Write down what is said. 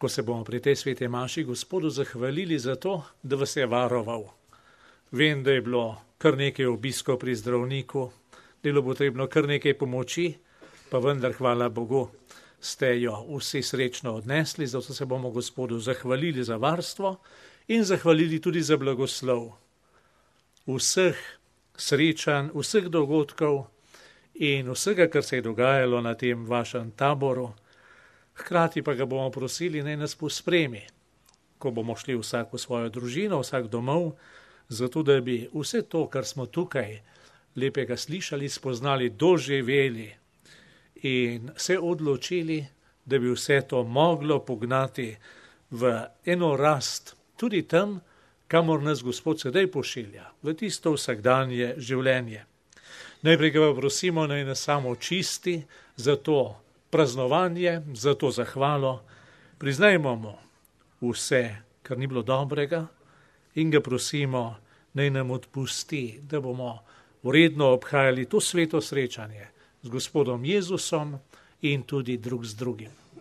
ko se bomo pri tej svete maši Gospodu zahvalili za to, da vas je varoval. Vem, da je bilo kar nekaj obiskov pri zdravniku, da je bilo potrebno kar nekaj pomoči, pa vendar hvala Bogu ste jo vsi srečno odnesli, zato se bomo Gospodu zahvalili za varstvo in zahvalili tudi za blagoslov vseh srečanj, vseh dogodkov in vsega, kar se je dogajalo na tem vašem taboru. Hkrati pa ga bomo prosili, naj nas pospremi, ko bomo šli vsak v svojo družino, vsak domov, zato da bi vse to, kar smo tukaj lepega slišali, spoznali, doživeli in se odločili, da bi vse to moglo pognati v eno rast, tudi tam, kamor nas Gospod sedaj pošilja, v tisto vsakdanje življenje. Najprej ga prosimo, naj nas samo čisti za to praznovanje, za to zahvalo. Priznajmo mu vse, kar ni bilo dobrega in ga prosimo, naj nam odpusti, da bomo vredno obhajali to sveto srečanje z Gospodom Jezusom in tudi drug z drugim.